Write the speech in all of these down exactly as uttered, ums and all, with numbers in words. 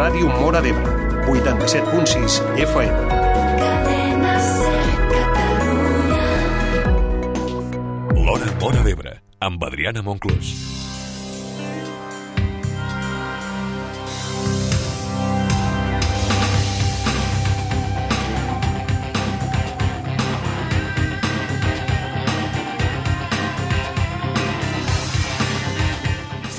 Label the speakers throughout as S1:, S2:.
S1: Ràdio Móra d'Ebre, vuitanta-set punt sis F M.
S2: L'Hora Móra d'Ebre, amb Adriana Monclús.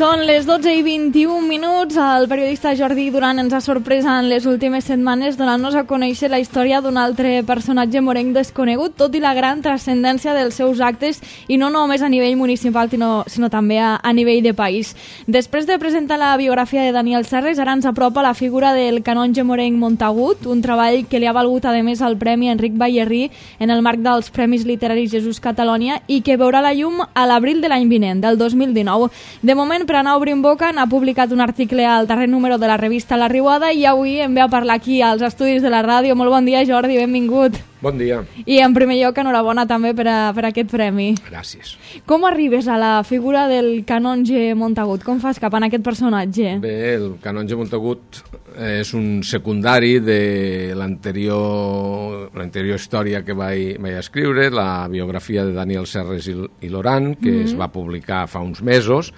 S3: Són les dotze i vint-i-un minuts. El periodista Jordi Duran ens ha sorprès en les últimes setmanes donant-nos a conèixer la història d'un altre personatge morenc desconegut, tot i la gran transcendència dels seus actes, i no només a nivell municipal, sinó, sinó també a, a nivell de país. Després de presentar la biografia de Daniel Serres, ara ens apropa la figura del canonge morenc Montagut, un treball que li ha valgut, a més, el Premi Enric Ballerrí en el marc dels Premis Literaris Jesús Catalonia i que veurà la llum a l'abril de l'any vinent, del dos mil dinou. De moment, per anar obrint boca, n'ha publicat un article al darrer número de la revista La Riuada i avui em ve a parlar aquí als estudis de la ràdio. Molt bon dia, Jordi, benvingut.
S4: Bon dia.
S3: I en primer lloc, enhorabona també per, a, per aquest premi.
S4: Gràcies.
S3: Com arribes a la figura del canonge Montagut? Com fas cap en aquest personatge?
S4: Bé, el canonge Montagut és un secundari de l'anterior l'anterior història que vaig, vaig escriure, la biografia de Daniel Serres i, i Loran, que mm-hmm. es va publicar fa uns mesos,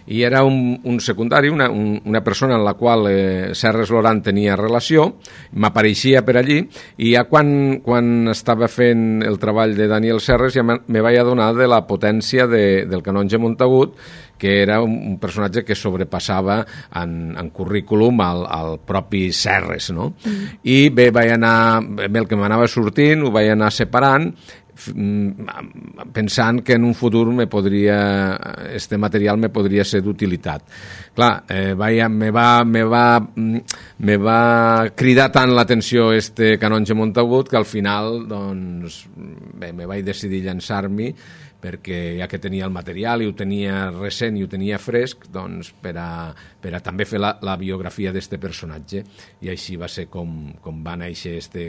S4: i era un, un secundari, una, un, una persona en la qual eh, Serres Loran tenia relació, m'apareixia per allí, i ja quan, quan estava fent el treball de Daniel Serres ja me, me vaig adonar de la potència de, del canonge Montagut, que era un, un personatge que sobrepassava en, en currículum al, al propi Serres, no? Mm. I bé, vaig anar, bé, el que m'anava sortint ho vaig anar separant, pensant que en un futur me podria, este material me podria ser d'utilitat. Clar, eh, vaya, me, va, me, va, me va cridar tant l'atenció este canonge Montagut que al final, doncs, bé, me vaig decidir llançar-m'hi, perquè ja que tenia el material i ho tenia recent i ho tenia fresc, doncs per a, per a també fer la, la biografia d'este personatge. I així va ser com, com va néixer este,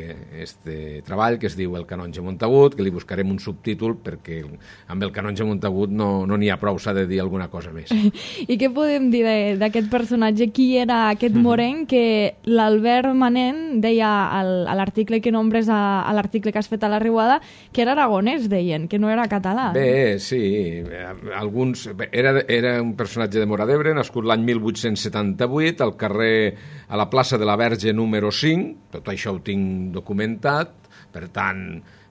S4: este treball, que es diu El canonge Montagut, que li buscarem un subtítol perquè amb el canonge Montagut no n'hi no ha prou, s'ha de dir alguna cosa més.
S3: I què podem dir d'aquest personatge? Qui era aquest morenc que l'Albert Manent deia al, a l'article que nombres a, a l'article que has fet a La Riuada, que era aragonès, deien, que no era català.
S4: Bé, sí, alguns... Era, era un personatge de Móra d'Ebre, nascut l'any mil vuit-cents setanta-vuit, al carrer, a la plaça de la Verge número cinc, tot això ho tinc documentat, per tant,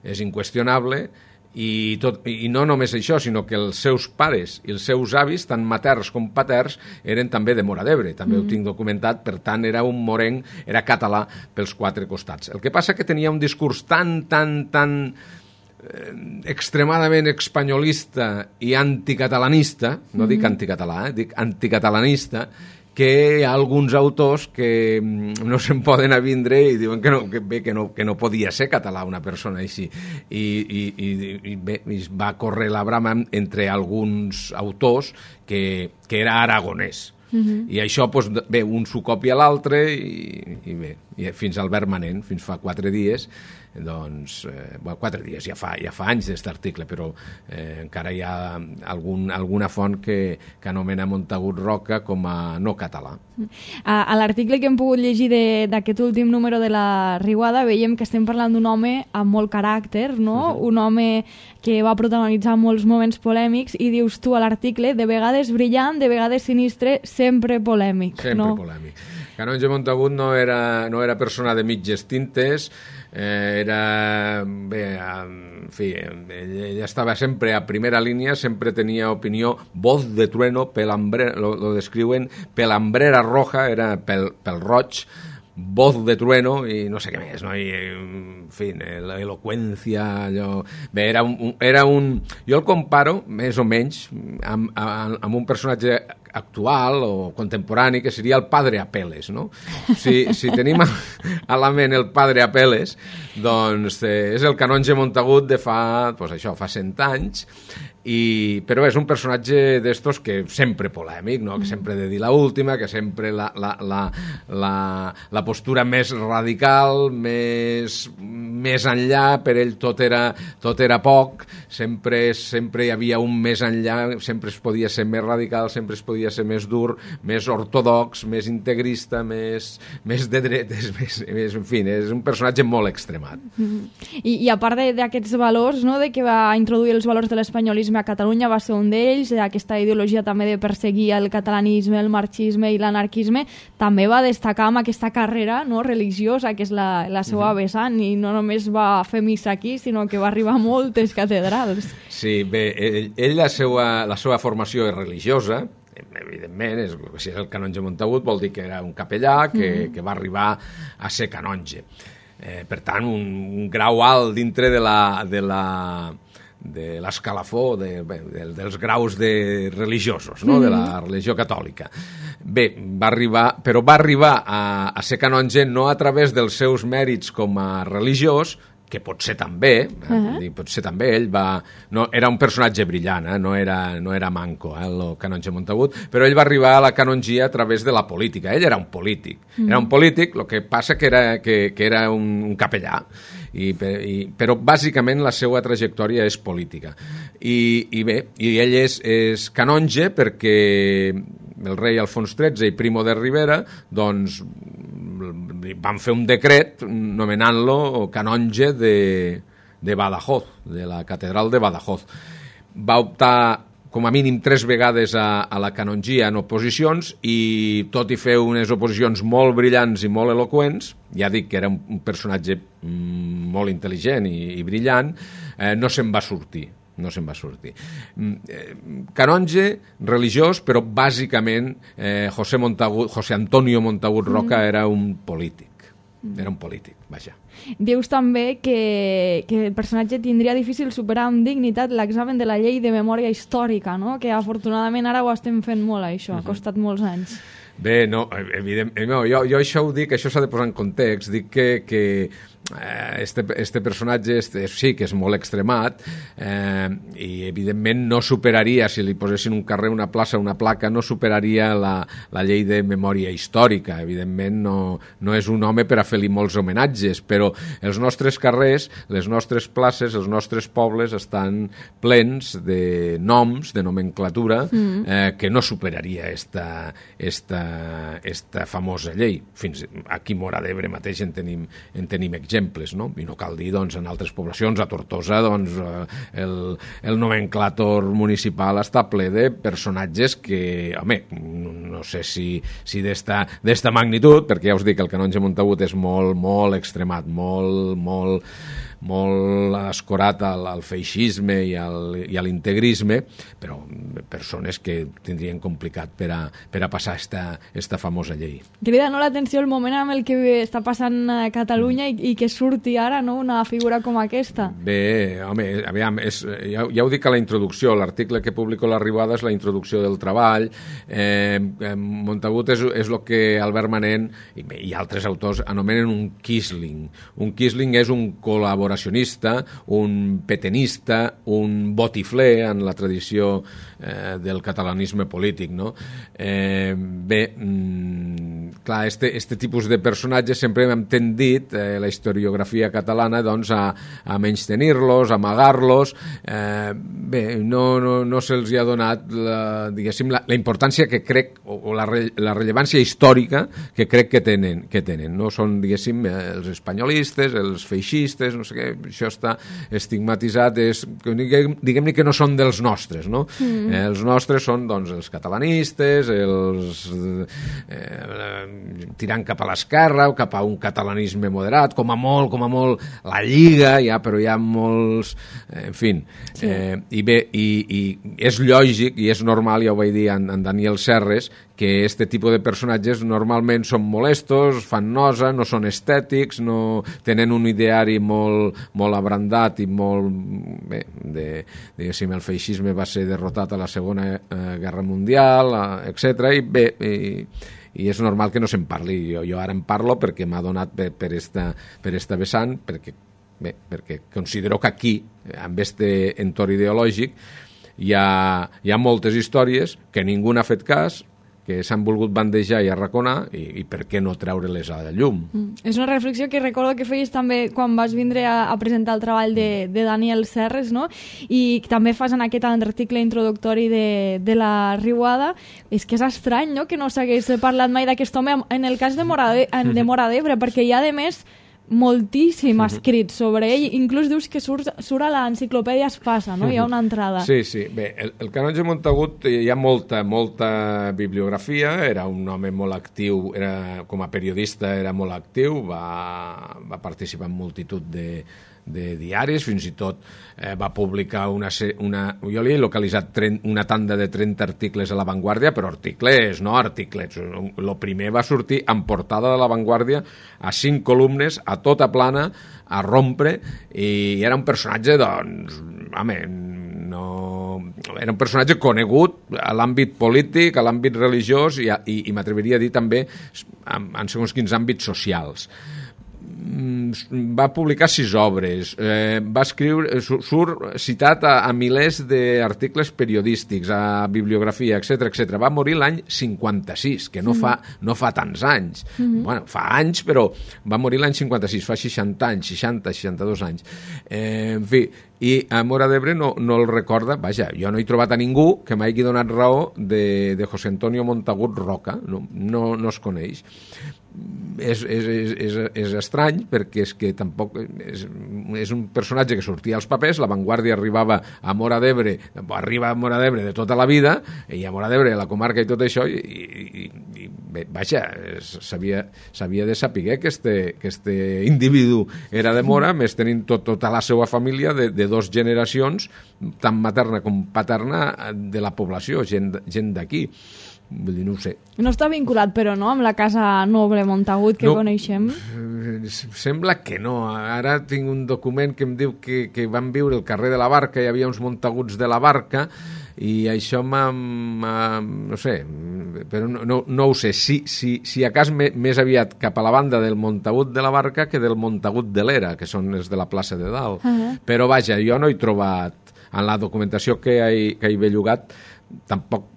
S4: és inqüestionable, i, tot, i no només això, sinó que els seus pares i els seus avis, tant materns com paterns, eren també de Móra d'Ebre, també mm. ho tinc documentat, per tant, era un morenc, era català pels quatre costats. El que passa que tenia un discurs tan, tan, tan... extremadament espanyolista i anticatalanista, no mm-hmm. dic anticatalà, eh? dic anticatalanista, que hi ha alguns autors que no se'n poden avindre i diuen que no, que, bé, que, no, que no podia ser català una persona així. I, i, i, i bé, va córrer la brama entre alguns autors que, que era aragonès. Mm-hmm. I això, doncs, bé, un s'ho copia l'altre i, i bé, i fins al Albert Manent, fins fa quatre dies, doncs, eh, bueno, quatre dies, ja fa, ja fa anys d'aquest article, però eh, encara hi ha algun, alguna font que, que anomena Montagut Roca com a no català.
S3: A, a l'article que hem pogut llegir d'aquest últim número de La Riuada veiem que estem parlant d'un home amb molt caràcter, no? Uh-huh. Un home que va protagonitzar molts moments polèmics i dius tu a l'article, de vegades brillant, de vegades sinistre, sempre polèmic.
S4: Sempre
S3: no?
S4: polèmic. Canonge Montagut no era, no era persona de mitges tintes, eh, era, bé, en fi, ell, ell estava sempre a primera línia, sempre tenia opinió, voz de trueno, pelambrera, lo, lo descriuen, pelambrera roja, era pel, pel roig, voz de trueno i no sé què més, no? I, en fi, l'eloqüència, allò... Bé, era un, era un... Jo el comparo, més o menys, amb, amb, amb un personatge actual o contemporani, que seria el Padre Apeles, no? Si, si tenim a, a la ment el Padre Apeles, doncs eh, és el canonge Montagut de fa, doncs això, fa cent anys, i, però és un personatge d'estos que sempre polèmic, no? Que sempre ha de dir l'última, que sempre la, la, la, la, la postura més radical, més, més enllà, per ell tot era, tot era poc, sempre, sempre hi havia un més enllà, sempre es podia ser més radical, sempre es podia podia ser més dur, més ortodox, més integrista, més, més de dretes, més, més, en fi, és un personatge molt extremat.
S3: Mm-hmm. I, i a part d'aquests valors, no, de que va introduir els valors de l'espanyolisme a Catalunya, va ser un d'ells, aquesta ideologia també de perseguir el catalanisme, el marxisme i l'anarquisme, també va destacar amb aquesta carrera, no, religiosa, que és la, la seva mm-hmm. vessant, i no només va fer missa aquí, sinó que va arribar a moltes catedrals.
S4: Sí, bé, ell, ell la, seva, la seva formació és religiosa, evidentment, és, si és el canonge Montagut vol dir que era un capellà que, mm. que va arribar a ser canonge. Eh, per tant, un, un grau alt dintre de la... De la de l'escalafó de, de, dels graus de religiosos, no? Mm-hmm. De la religió catòlica. Bé, va arribar, però va arribar a, a ser canonge no a través dels seus mèrits com a religiós, que potser també, uh-huh. eh, potser també ell va... No, era un personatge brillant, eh? no, era, no era manco, eh, el canonge Montagut, però ell va arribar a la canongia a través de la política. Ell era un polític. Mm. Era un polític, el que passa que era, que, que era un, un capellà. I, i, però bàsicament la seva trajectòria és política. I, i bé, i ell és, és canonge perquè el rei Alfons tretze i Primo de Rivera doncs van fer un decret nomenant-lo canonge de, de Badajoz, de la catedral de Badajoz. Va optar com a mínim tres vegades a, a la canongia en oposicions i tot i fer unes oposicions molt brillants i molt eloqüents, ja dic que era un, un personatge mm, molt intel·ligent i, i brillant, eh, no se'n va sortir. no se'n va sortir. Canonge, religiós, però bàsicament eh, José, Montagut, José Antonio Montagut Roca mm. era un polític. Era un polític, vaja.
S3: Dius també que, que el personatge tindria difícil superar amb dignitat l'examen de la llei de memòria històrica, no? Que afortunadament ara ho estem fent molt, això, ha costat molts anys.
S4: Bé, no, evidentment, no, jo, jo això ho dic, això s'ha de posar en context, dic que, que este, este personatge este, sí que és molt extremat eh, i evidentment no superaria, si li posessin un carrer, una plaça, una placa, no superaria la, la llei de memòria històrica. Evidentment no, no és un home per a fer-li molts homenatges, però els nostres carrers, les nostres places, els nostres pobles estan plens de noms, de nomenclatura, mm. eh, que no superaria esta, esta, esta famosa llei. Fins aquí a Móra d'Ebre mateix en tenim, en tenim exemples, no? I no cal dir, doncs, en altres poblacions, a Tortosa, doncs, el, el nomenclàtor municipal està ple de personatges que, home, no sé si, si d'esta d'esta magnitud, perquè ja us dic que el canonge Montagut és molt, molt extremat, molt, molt, molt escorat al, al feixisme i, al, i a l'integrisme, però persones que tindrien complicat per a, per a passar esta, esta famosa llei.
S3: Crida no l'atenció el moment amb el que està passant a Catalunya i, i que surti ara, no?, una figura com aquesta.
S4: Bé, home, aviam, és, ja, ja ho dic a la introducció, l'article que publico a l'Arribada és la introducció del treball. Eh, Montagut és, és el que Albert Manent i, i altres autors anomenen un quisling. Un quisling és un col·laboracionista, un petenista, un botifler en la tradició eh, del catalanisme polític, no? Eh, bé, mm, clar, este, este tipus de personatges sempre hem tendit, eh, la historiografia catalana, doncs, a, a menystenir-los, a amagar-los. Eh, bé, no, no, no se'ls ha donat la, diguéssim, la, la importància que crec, o, o la, re, la rellevància històrica que crec que tenen, que tenen. No són, diguéssim, els espanyolistes, els feixistes, no sé què, això està estigmatitzat, és, diguem-ne que no són dels nostres, no? Mm. Eh, els nostres són, doncs, els catalanistes, els eh, tirant cap a l'esquerra o cap a un catalanisme moderat, com a molt, com a molt la Lliga, ja, però hi ha molts, eh, en fi. Sí. Eh, I bé, i, i és lògic i és normal, ja ho vaig dir en, en Daniel Serres, que este tipus de personatges normalment són molestos, fan nosa, no són estètics, no tenen un ideari molt, molt abrandat i molt... Bé, de, diguéssim, el feixisme va ser derrotat a la Segona eh, Guerra Mundial, eh, etcètera. I bé, i, i és normal que no se'n parli. Jo, jo ara en parlo perquè m'ha donat per, per, esta, per esta vessant, perquè, bé, perquè considero que aquí, amb este entorn ideològic, hi ha, hi ha moltes històries que ningú n'ha fet cas, que s'han volgut bandejar i arraconar i, i per què no treure-les a la llum.
S3: Mm. És una reflexió que recordo que feies també quan vas vindre a, a presentar el treball de, de Daniel Serres, no? I també fas en aquest article introductori de, de la Riuada. És que és estrany, no?, que no s'hagués parlat mai d'aquest home en el cas de Móra d'Ebre, perquè hi ha, a més, moltíssim escrit sobre ell, inclús dius que surt, surt a l'enciclopèdia Espasa, no? Hi ha una entrada.
S4: Sí, sí. Bé, el, el canonge Montagut hi ha molta, molta bibliografia, era un home molt actiu, era, com a periodista era molt actiu, va, va participar en multitud de, de diaris, fins i tot eh, va publicar una, una... Jo li he localitzat trenta, una tanda de trenta articles a La Vanguardia, però articles, no articles. El primer va sortir en portada de La Vanguardia a cinc columnes, a tota plana, a rompre, i era un personatge, doncs, home, no... era un personatge conegut a l'àmbit polític, a l'àmbit religiós i, i, i m'atreviria a dir també en, en segons quins àmbits socials. Va publicar sis obres, eh, va escriure, surt citat a, a milers d'articles periodístics, a bibliografia, etcètera, etcètera. Va morir l'any cinquanta-sis, que no, mm. fa, no fa tants anys. Mm-hmm. Bueno, fa anys, però va morir l'any cinquanta-sis, fa seixanta anys, seixanta, seixanta-dos anys. Eh, en fi, i a Móra d'Ebre no, no el recorda, vaja, jo no he trobat a ningú que m'hagi donat raó de, de José Antonio Montagut Roca, no, no, no es coneix. És, és, és, és estrany perquè és que tampoc és, és un personatge que sortia als papers. La Vanguardia arribava a Móra d'Ebre, arriba a Móra d'Ebre de tota la vida, i a Móra d'Ebre, la comarca i tot això, i, i, i bé, vaja, s'havia de saber que este, que este individu era de Móra, més tenint tot, tota la seva família de, de dos generacions, tant materna com paterna, de la població, gent, gent d'aquí. Vull dir, no ho sé.
S3: No està vinculat, però, no?, amb la casa noble Montagut que no, coneixem?
S4: Sembla que no. Ara tinc un document que em diu que, que van viure al carrer de la Barca, hi havia uns Montaguts de la Barca, i això m'ha... no sé, però no, no, no ho sé. Si, si, si a cas me, més aviat cap a la banda del Montagut de la Barca que del Montagut de l'Era, que són els de la plaça de Dalt. Uh-huh. Però vaja, jo no he trobat, en la documentació que hi, que hi he bellugat, tampoc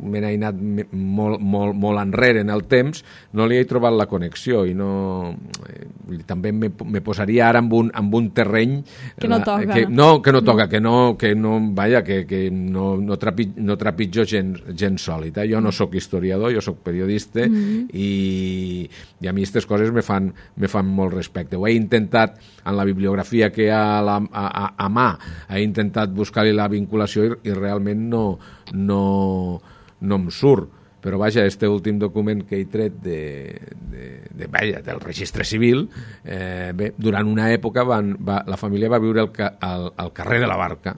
S4: me n'he anat molt, molt, molt enrere en el temps, no li he trobat la connexió i no... Eh, també me, me posaria ara en un, en un terreny...
S3: Que no toca.
S4: Que, no, que no toca, que no, que no, vaja, que, que no, no, trapi, no trepitjo gent, gent sòlida. Jo no sóc historiador, jo sóc periodista, mm-hmm. i, i a mi aquestes coses me fan, me fan molt respecte. Ho he intentat en la bibliografia que hi ha a, la, a, a, a mà, he intentat buscar-hi la vinculació i, i realment no... no no em surt, però vaja, este últim document que he tret de, de, de, vaja, del registre civil, eh, bé, durant una època van, va, la família va viure al, al, al carrer de la Barca,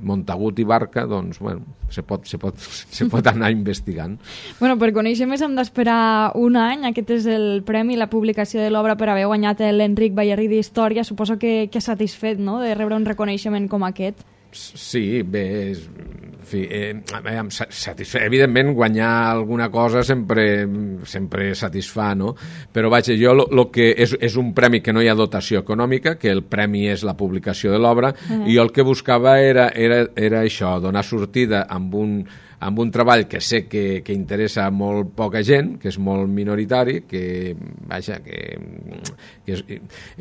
S4: Montagut i Barca, doncs, bueno, se pot, se pot, se pot anar investigant.
S3: Bueno, per conèixer més hem d'esperar un any. Aquest és el premi, la publicació de l'obra per haver guanyat l'Enric Ballarrí d'Història. Suposo que, que satisfet, no?, de rebre un reconeixement com aquest.
S4: Sí, bé, és, en fi, eh, satisfà. Evidentment, guanyar alguna cosa sempre, sempre satisfà, no? Però vaja, jo lo, lo que és, és un premi que no hi ha dotació econòmica, que el premi és la publicació de l'obra, uh-huh. i jo el que buscava era, era, era això, donar sortida amb un, amb un treball que sé que, que interessa a molt poca gent, que és molt minoritari, que, vaja, que, que és,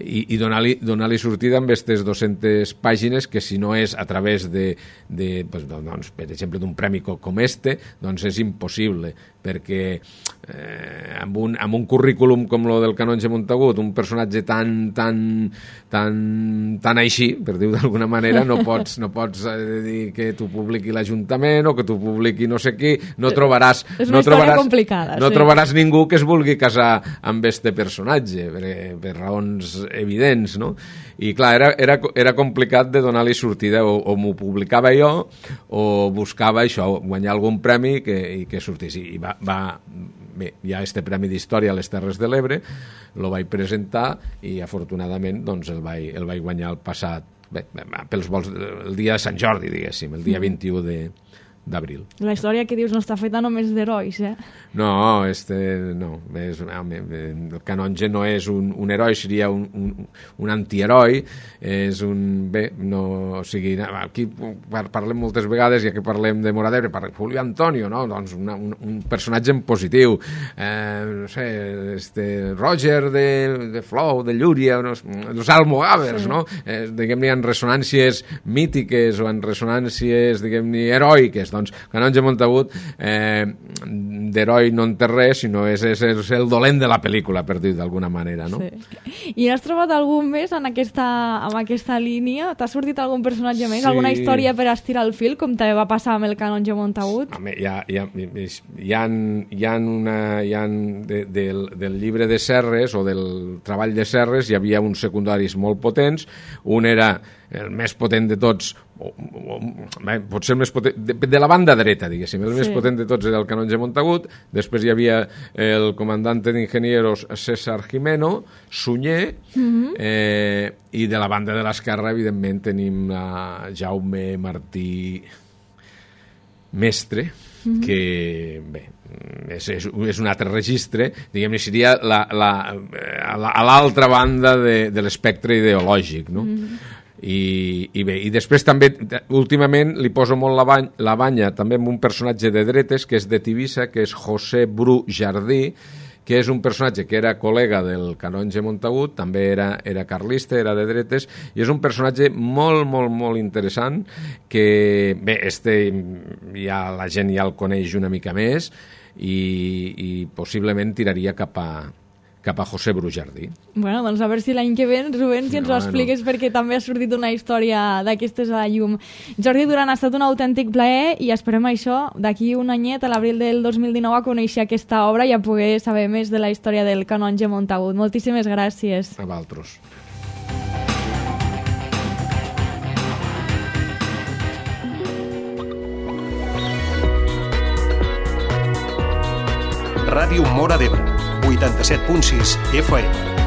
S4: i, i donar-li donar-li sortida amb aquestes dues-centes pàgines que si no és a través de, de pues, doncs, per exemple, d'un premi com este, doncs és impossible, perquè eh, amb, un, amb un currículum com el del canonge Montagut, un personatge tan, tan, tan, tan així, per dir-ho d'alguna manera, no pots, no pots eh, dir que tu publiqui l'Ajuntament o que tu publiqui no sé qui, no trobaràs...
S3: És una
S4: no
S3: història
S4: trobaràs,
S3: complicada.
S4: No
S3: sí.
S4: trobaràs ningú que es vulgui casar amb este personatge, per, per raons evidents, no? I clar, era, era, era complicat de donar-li sortida, o, o m'ho publicava jo o buscava això, guanyar algun premi que, i que sortís. I va, va, bé, hi ha este premi d'Història a les Terres de l'Ebre, el vaig presentar i afortunadament doncs, el, vaig, el vaig guanyar el passat, bé, pels vols, el dia de Sant Jordi, diguéssim, el dia vint-i-u de, d'abril.
S3: La història que dius no està feta només d'herois, eh?
S4: No, este, no és, el canonge no és un, un heroi, seria un, un, un antiheroi, és un... Bé, no, o sigui, aquí parlem moltes vegades, ja que parlem de Móra d'Ebre, parlem Julio Antonio, no? Doncs una, un, un personatge en positiu, eh, no sé, este, Roger de, de Flou, de Llúria, no, els almogàvers, sí. No? Eh, diguem-ne, en ressonàncies mítiques o en ressonàncies, diguem-ne, heroiques, doncs Canonge Montagut, eh, d'heroi no en té res, sinó és, és, és el dolent de la pel·lícula, per dir d'alguna manera, no?
S3: Sí. I has trobat algun més en aquesta, en aquesta línia? T'ha sortit algun personatge més?
S4: Sí.
S3: Alguna història per estirar el fil, com també va passar amb el Canonge Montagut?
S4: Home, hi ha, hi ha, hi ha, hi ha una... Hi ha de, del, del llibre de Serres, o del treball de Serres, hi havia uns secundaris molt potents. Un era el més potent de tots, o, o, bé, potser el més potent, de, de la banda dreta, diguéssim, el sí. més potent de tots era el Canonge Montagut. Després hi havia el comandante d'ingenieros César Jimeno, Sunyer, mm-hmm. eh, i de la banda de l'esquerra, evidentment, tenim a Jaume Martí Mestre, mm-hmm. que, bé, és, és, és un altre registre, diguem-ne, seria la, la, a l'altra banda de, de l'espectre ideològic, no? Mm-hmm. I, i bé, i després també últimament li poso molt la, bany, la banya també amb un personatge de dretes que és de Tivissa, que és José Bru Jardí, que és un personatge que era col·lega del Canonge Montagut, també era, era carlista, era de dretes, i és un personatge molt, molt, molt interessant, que, bé, este ja la gent ja el coneix una mica més, i, i possiblement tiraria cap a cap a José Bru Jardí.
S3: Bueno, doncs a veure si l'any que ve, Rubén, si ens no, ho expliques, no. Perquè també ha sortit una història d'aquestes a la llum. Jordi Duran, ha estat un autèntic plaer i esperem això, d'aquí un anyet, a l'abril del dos mil dinou, a conèixer aquesta obra i a poder saber més de la història del Canonge Montagut. Moltíssimes gràcies.
S4: A vosaltres.
S1: Ràdio Móra d'Ebre, vuitanta-set punt sis F M.